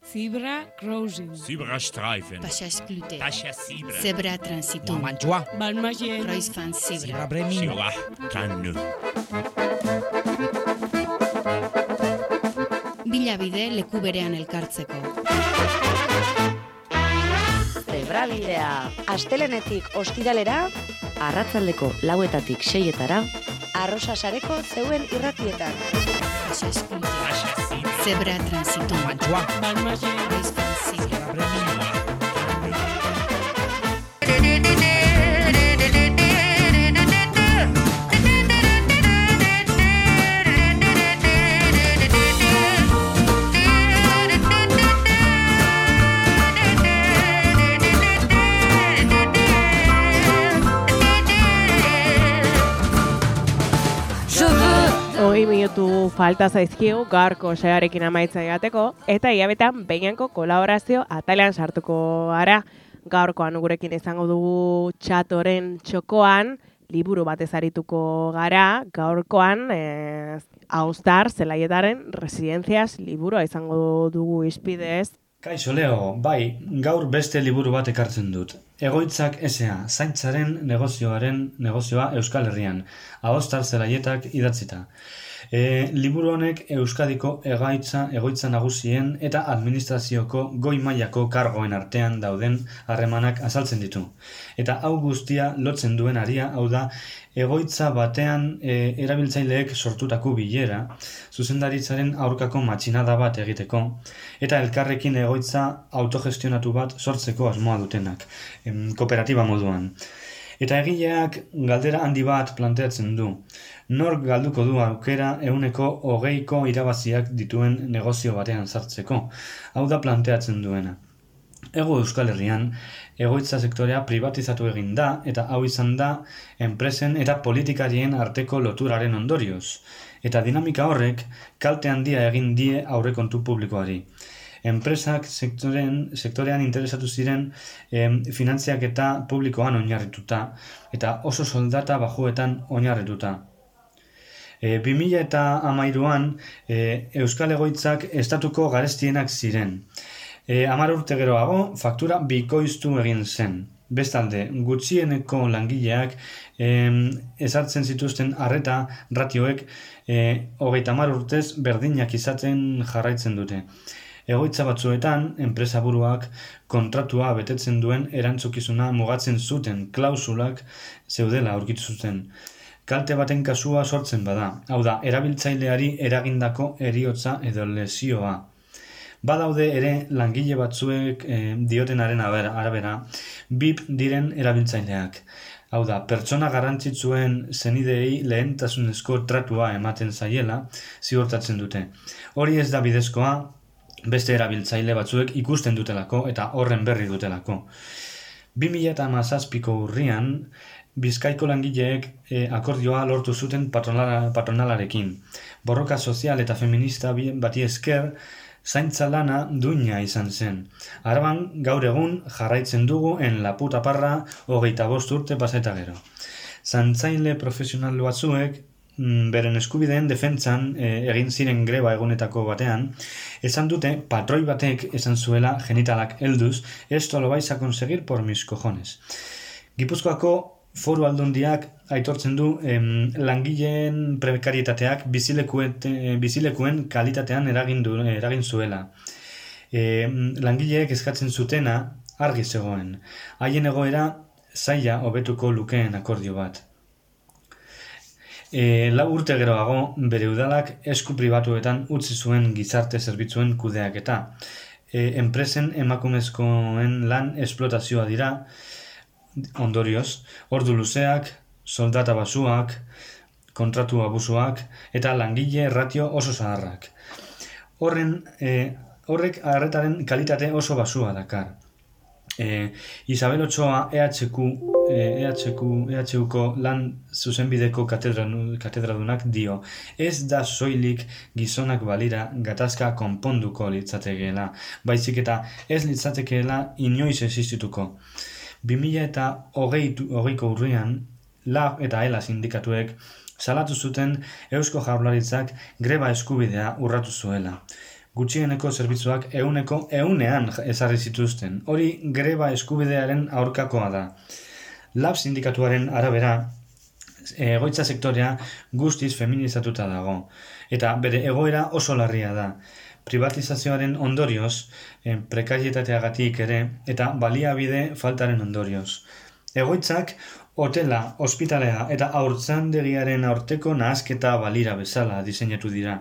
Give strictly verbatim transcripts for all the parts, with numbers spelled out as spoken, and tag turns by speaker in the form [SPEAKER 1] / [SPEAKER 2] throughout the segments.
[SPEAKER 1] Zebra crossing.
[SPEAKER 2] Zebrastreifen.
[SPEAKER 3] Passage clouté.
[SPEAKER 2] Pascha Zebra.
[SPEAKER 3] Zebra transitum.
[SPEAKER 4] Mantua.
[SPEAKER 1] Balmagien.
[SPEAKER 3] Kreuzfahrt Zebra.
[SPEAKER 4] Zebra Bremin.
[SPEAKER 2] Zebra Kannu.
[SPEAKER 3] Bilabide leku berean elkartzeko.
[SPEAKER 5] Zebrabidea. Astelenetik ostiralera, arratsaldeko lauetatik seietara, arrosa sareko zeuen irratietan.
[SPEAKER 3] Passage clouté.
[SPEAKER 2] Pascha Zebra.
[SPEAKER 3] Zebra transitum.
[SPEAKER 4] Mantua.
[SPEAKER 1] Balmagien.
[SPEAKER 3] Kreuzfahrt Zebra.
[SPEAKER 4] Zebra Bremin.
[SPEAKER 6] Hogei minutu falta zaizkigu gaurko searekin amaitza egateko, eta hilabetean behinenko kolaborazio atalean sartuko gara. Gaurkoan gurekin izango dugu txatoren txokoan, liburu batez arituko gara, gaurkoan eh, Austar Zelaietaren Residencias liburua izango dugu izpidez.
[SPEAKER 7] Kaixo Leo, bai, gaur beste liburu bat ekartzen dut. Egoitzak esea, zaintzaren negozioaren negozioa Euskal Herrian, Austar Zelaietak idatzita. E, liburu honek Euskadiko egaitza, egoitza nagusien eta administrazioko goi mailako kargoen artean dauden harremanak azaltzen ditu. Eta hau guztia lotzen duen aria, hau da, egoitza batean e, erabiltzaileek sortutako bilera, zuzendaritzaren aurkako matxinada bat egiteko, eta elkarrekin egoitza autogestionatu bat sortzeko asmoa dutenak, em, kooperatiba moduan. Eta egileak galdera handi bat planteatzen du. Nork galduko du aukera ehuneko hogeiko irabaziak dituen negozio batean sartzeko. Hau da planteatzen duena. Ego Euskal Herrian, egoitza sektorea privatizatu egin da, eta hau izan da enpresen eta politikarien arteko loturaren ondorioz. Eta dinamika horrek kalte handia egin die aurrekontu publikoari. Enpresak sektoren, sektorean interesatu ziren em, finantziak eta publikoan oinarrituta, eta oso soldata bajuetan oinarrituta. E, bi mila hamairuan e, Euskal Egoitzak estatuko garestienak ziren. E, Hamar urte geroago, faktura bikoiztu egin zen. Bestalde, gutxieneko langileak em, ezartzen zituzten arreta ratioek e, hogeita hamar urtez berdinak izaten jarraitzen dute. Egoitza batzuetan, enpresaburuak kontratua betetzen duen erantzukizuna mugatzen zuten klausulak zeudela aurkitu zuten. Kalte baten kasua sortzen bada, hau da, erabiltzaileari eragindako heriotza edo lesioa. Badaude ere langile batzuek eh, diotenaren arabera, B I P diren erabiltzaileak. Hau da, pertsona garrantzitsuen zenidei lehentasunezko tratua ematen zaiela ziurtatzen dute. Hori ez da bidezkoa, beste erabiltzaile batzuek ikusten dutelako eta horren berri dutelako. bi mila hamazazpiko urrian, Bizkaiko langileek e, akordioa lortu zuten patronala, patronalarekin. Borroka sozial eta feminista bati esker, zaintza lana duina izan zen. Araban gaur egun jarraitzen dugu en la puta parra hogeita bost urte paseta gero. Zaintzaile profesional batzuek, beren eskubideen defentsan e, egin ziren greba egunetako batean, esan dute patroi batek esan zuela genitalak helduz, esto lo vais a conseguir por mis cojones. Gipuzkoako Foru Aldundiak aitortzen du em, langileen prekarietateak bizilekuen, bizilekuen kalitatean eragin, du, eragin zuela. E, langileek eskatzen zutena argi zegoen. Haien egoera zaila hobetuko lukeen akordio bat. E, lau urte geroago, bere udalak esku pribatuetan utzi zuen gizarte zerbitzuen kudeaketa. E, enpresen emakumezkoen lan esplotazioa dira, ondorioz, ordu luzeak, soldata basuak, kontratu abusuak eta langile ratio oso zaharrak. Horren, e, horrek arretaren kalitate oso basua dakar. E, Isabel Ochoa E H Q, E H Q, E H Uko lan zuzenbideko katedradunak dio, ez da soilik gizonak balira gatazka konponduko litzatekeela, baizik eta ez litzatekeela inoiz existituko. bi mila hogeiko urrian, Lab eta Ela sindikatuek salatu zuten Eusko Jaurlaritzak greba eskubidea urratu zuela. gutxieneko zerbitzuak ehuneko ehunean ezarri zituzten. Hori greba eskubidearen aurkakoa da. Lab sindikatuaren arabera, egoitza sektorea guztiz feminizatuta dago, eta bere egoera oso larria da. Privatizazioaren ondorioz, eh, prekarietateagatik ere, eta baliabide faltaren ondorioz. Egoitzak, hotela, ospitalea eta haurtzaindegiaren aurteko nahasketa balira bezala diseinatu dira,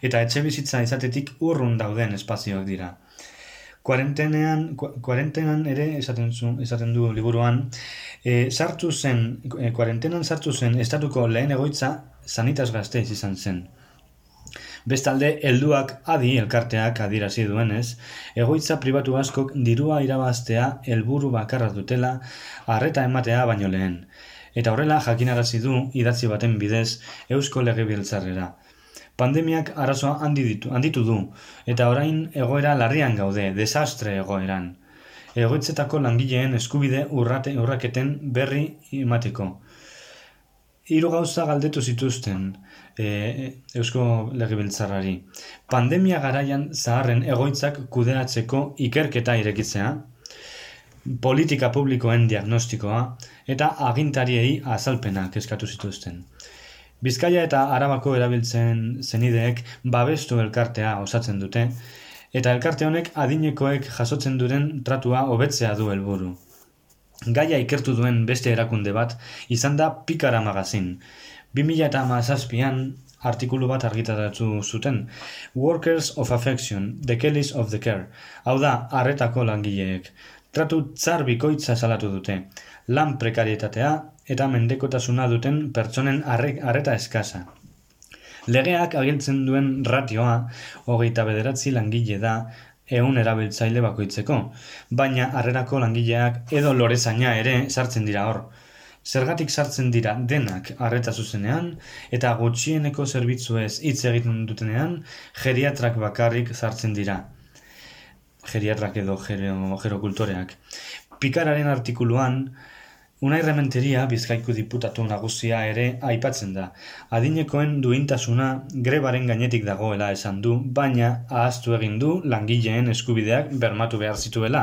[SPEAKER 7] eta etxebizitza izatetik urrun dauden espazioak dira. Kuarentenean, kuarentenan ere esaten, zu, esaten du liburuan, e, sartu zen, e, kuarentenan sartu zen estatuko lehen egoitza Sanitas Gasteiz izan zen. Bestalde, helduak adi elkarteak adierazi duenez, egoitza pribatu askok dirua irabaztea helburu bakarra dutela arreta ematea baino lehen. Eta horrela jakinarazi du idatzi baten bidez Eusko Legebiltzarrera. Pandemiak arazoa handitu, handitu du, eta orain egoera larrian gaude, desastre egoeran. Egoitzetako langileen eskubide urrate urraketen berri emateko. Hiru gauza galdetu zituzten e, Eusko Legebiltzarrari. Pandemia garaian zaharren egoitzak kudeatzeko ikerketa irekitzea, politika publikoen diagnostikoa eta agintariei azalpenak eskatu zituzten. Bizkaia eta Arabako erabiltzen zenideek babestu elkartea osatzen dute, eta elkarte honek adinekoek jasotzen duren tratua hobetzea du helburu. Gaia ikertu duen beste erakunde bat izan da Pikara Magazin. bi mila hamazazpian artikulu bat argitaratu zuten, Workers of Affection, The Kellys of the Care, hau da, arretako langileek. Tratu tzar bikoitza salatu dute, lan prekarietatea eta mendekotasuna duten pertsonen arreta eskasa. Legeak agintzen duen ratioa, hogeita bederatzi langile da, ehun erabiltzaile bakoitzeko, baina harrerako langileak edo lorezaina ere sartzen dira hor. Zergatik sartzen dira denak arreta zuzenean, eta gutxieneko zerbitzuez hitz egiten dutenean, geriatrak bakarrik sartzen dira. Geriatrak edo gerokultoreak. Pikararen artikuluan, Unai Rementeria, Bizkaiko diputatu nagusia ere aipatzen da. Adinekoen duintasuna grebaren gainetik dagoela esan du, baina ahaztu egin du langileen eskubideak bermatu behar zituela.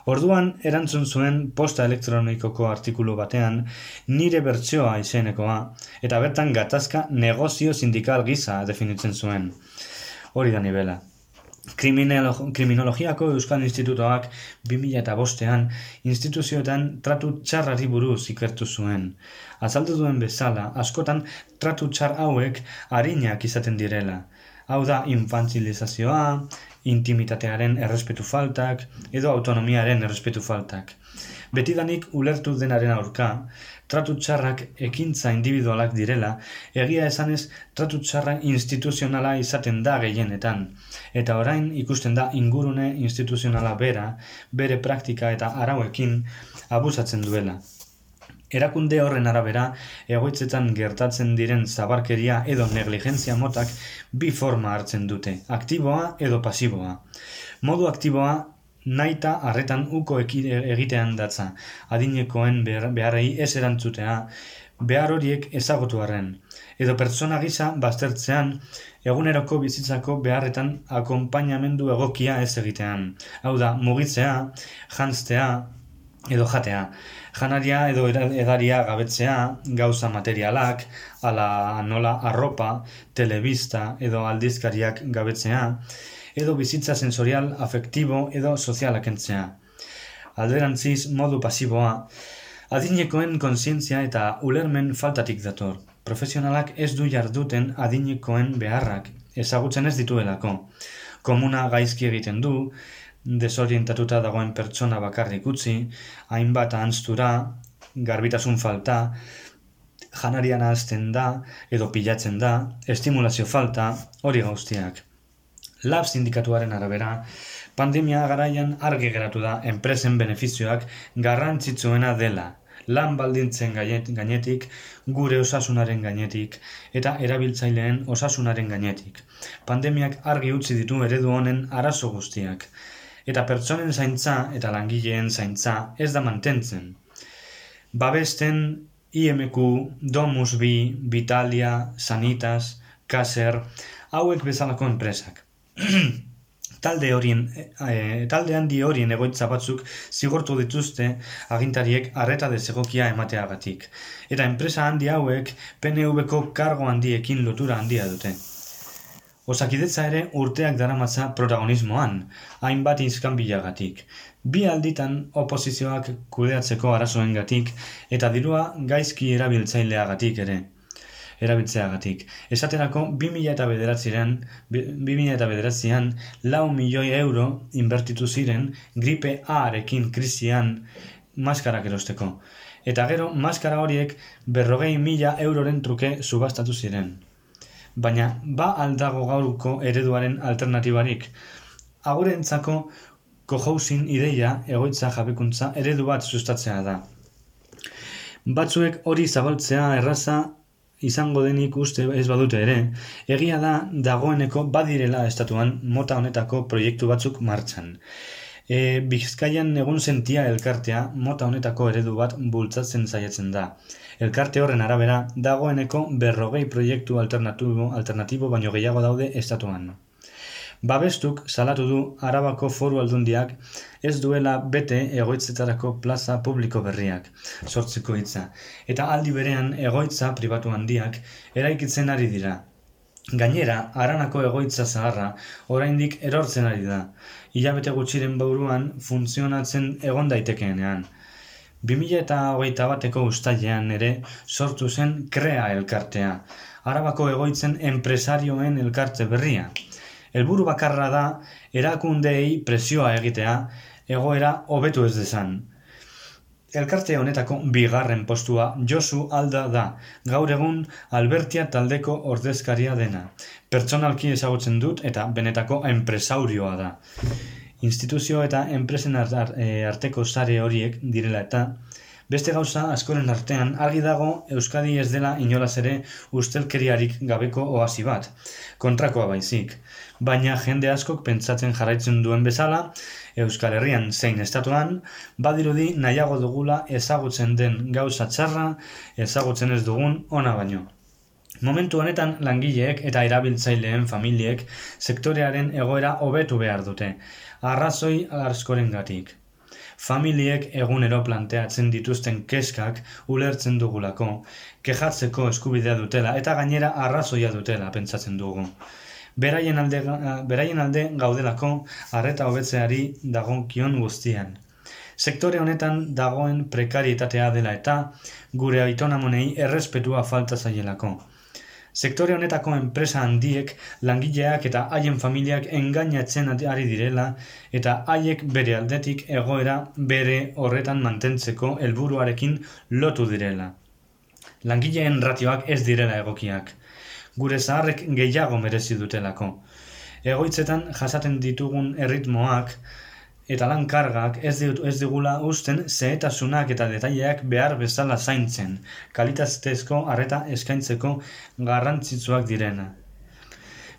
[SPEAKER 7] Orduan, erantzun zuen posta elektronikoko artikulu batean nire bertsioa izenekoa, eta bertan gatazka negozio sindikal gisa definitzen zuen. Hori da nibela. Kriminologiako Euskal Institutoak bi mila bostean instituzioetan tratu txarrari buruz ikertu zuen. Azaldu duen bezala, askotan tratu txar hauek arinak izaten direla. Hau da, infantilizazioa, intimitatearen errespetu faltak edo autonomiaren errespetu faltak. Betidanik ulertu denaren aurka, tratu txarrak ekintza individualak direla, egia esanez tratu txarra instituzionala izaten da gehienetan, eta orain ikusten da ingurune instituzionala bera, bere praktika eta arauekin abusatzen duela. Erakunde horren arabera, egoitzetan gertatzen diren zabarkeria edo negligentzia motak bi forma hartzen dute, aktiboa edo pasiboa. Modu aktiboa naita harretan uko egitean datza, adinekoen beharrei ez erantzutea, behar horiek ezagutu arren, edo pertsona gisa baztertzean eguneroko bizitzako beharretan akonpainamendu egokia ez egitean. Hau da, mugitzea, janztea edo jatea, janaria edo edaria gabetzea, gauza materialak, ala nola arropa, telebista edo aldizkariak gabetzea, edo bizitza sensorial, afektibo edo sozialak entzea. Alderantziz, modu pasiboa, adinekoen kontzientzia eta ulermen faltatik dator. Profesionalak ez du jarduten adinekoen beharrak, ezagutzen ez dituelako. Komuna gaizki egiten du, desorientatuta dagoen pertsona bakarrik utzi, hainbat ahanztura, garbitasun falta, janarian ahazten da edo pilatzen da, estimulazio falta, hori guztiak. Lab sindikatuaren arabera, pandemia garaian argi geratu da enpresen benefizioak garrantzitsuena dela, lan baldintzen gainetik, gure osasunaren gainetik eta erabiltzaileen osasunaren gainetik. Pandemiak argi utzi ditu eredu honen arazo guztiak, eta pertsonen zaintza eta langileen zaintza ez da mantentzen. Babesten I M Q, Domusbi, Vitalia, Sanitas, Caser, hauek bezalako enpresak. Talde horien, e, talde handi horien egoitza batzuk zigortu dituzte agintariek arreta desegokia emateagatik. Eta enpresa handi hauek P N V-ko kargo handiekin lotura handia dute. Osakidetza ere urteak daramatza protagonismoan, hainbat iskanbilagatik. Bi alditan oposizioak kudeatzeko arazoengatik eta dirua gaizki erabiltzaileagatik ere. erabiltzeagatik. Esaterako bi mila bederatzian lau milioi euro inbertitu ziren gripe A-arekin krisian maskarak erosteko. Eta gero, maskara horiek berrogei mila euroren truke subastatu ziren. Baina, ba aldago gaurko ereduaren alternatibarik. Agurentzako cohousing ideia egoitza jabekuntza eredu bat sustatzea da. Batzuek hori zabaltzea erraza izango denik uste ez badute ere, egia da dagoeneko badirela estatuan mota honetako proiektu batzuk martxan. E, Bizkaian egun sentia elkartea mota honetako eredu bat bultzatzen saiatzen da. Elkarte horren arabera dagoeneko berrogei proiektu alternatibo, alternatibo baino gehiago daude estatuan. Babestuk salatu du Arabako Foru Aldundiak ez duela bete egoitzetarako plaza publiko berriak, sortzeko hitza, eta aldi berean egoitza pribatu handiak eraikitzen ari dira. Gainera, Aranako egoitza zaharra oraindik erortzen ari da, hilabete gutxiren buruan funtzionatzen egon daitekeenean. bi mila hogeita bateko uztailean ere sortu zen Krea elkartea, Arabako egoitzen enpresarioen elkarte berria. Helburu bakarra da erakundeei presioa egitea, egoera hobetu ez dezan. Elkarte honetako bigarren postua Josu Alda da, gaur egun Albertia taldeko ordezkaria dena. Pertsonalki ezagutzen dut eta benetako enpresaurioa da. Instituzio eta enpresen arteko sare horiek direla eta beste gauza askoren artean argi dago Euskadi ez dela inolaz ere ustelkeriarik gabeko oasi bat, kontrakoa baizik. Baina jende askok pentsatzen jarraitzen duen bezala, Euskal Herrian zein estatuan, badirudi nahiago dugula ezagutzen den gauza txarra, ezagutzen ez dugun ona baino. Momentu honetan langileek eta erabiltzaileen familiek sektorearen egoera hobetu behar dute, arrazoi askorengatik. Familiek egunero planteatzen dituzten keskak ulertzen dugulako, kejatzeko eskubidea dutela eta gainera arrazoia dutela pentsatzen dugu. Beraien alde, beraien alde gaudelako arreta hobetzeari dagokion guztian. Sektore honetan dagoen prekarietatea dela eta gure aitonamonei errespetua falta zaielako. Sektore honetako enpresa handiek langileak eta haien familiak engainatzen ari direla eta haiek bere aldetik egoera bere horretan mantentzeko helburuarekin lotu direla. Langileen ratioak ez direla egokiak. Gure zaharrek gehiago merezi dutelako. Egoitzetan jasaten ditugun erritmoak eta lan kargak ez, ez digula usten zehetasunak eta detaileak behar bezala zaintzen, kalitatezko arreta eskaintzeko garrantzitsuak direna.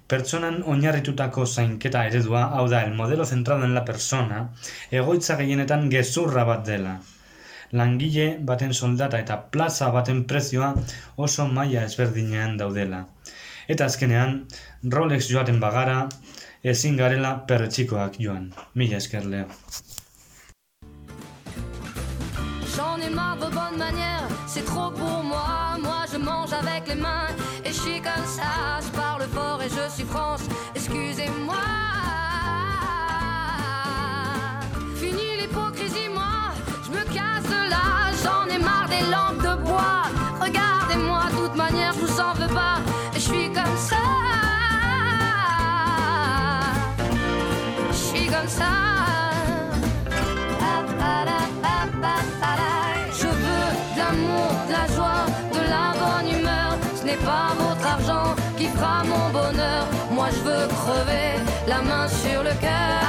[SPEAKER 7] Pertsonan oinarritutako zainketa eredua, hau da, el modelo centrado en la persona, egoitza gehienetan gezurra bat dela. Langile baten soldata eta plaza baten prezioa oso maila ezberdinean daudela. Eta azkenean, Rolex joaten bagara, ezin garela perretxikoak joan. Mila esker, Leo.
[SPEAKER 4] J'en ai marre vos bonnes manières, c'est trop pour moi. Moi je mange avec les mains et je suis comme ça. Je parle fort et je suis France, excusez-moi. Fini l'hypocrisie, moi, je me casse de là. J'en ai marre des lampes de bois. Regardez-moi, de toute manière, je vous en veux pas. Et je suis comme ça. Je suis comme ça. Je veux de l'amour, de la joie, de la bonne humeur. Ce n'est pas votre argent qui fera mon bonheur. Moi je veux crever la main sur le cœur.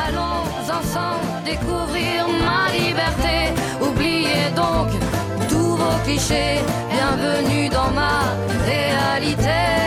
[SPEAKER 4] Allons ensemble découvrir ma liberté. Oubliez donc tous vos clichés. Bienvenue dans ma réalité.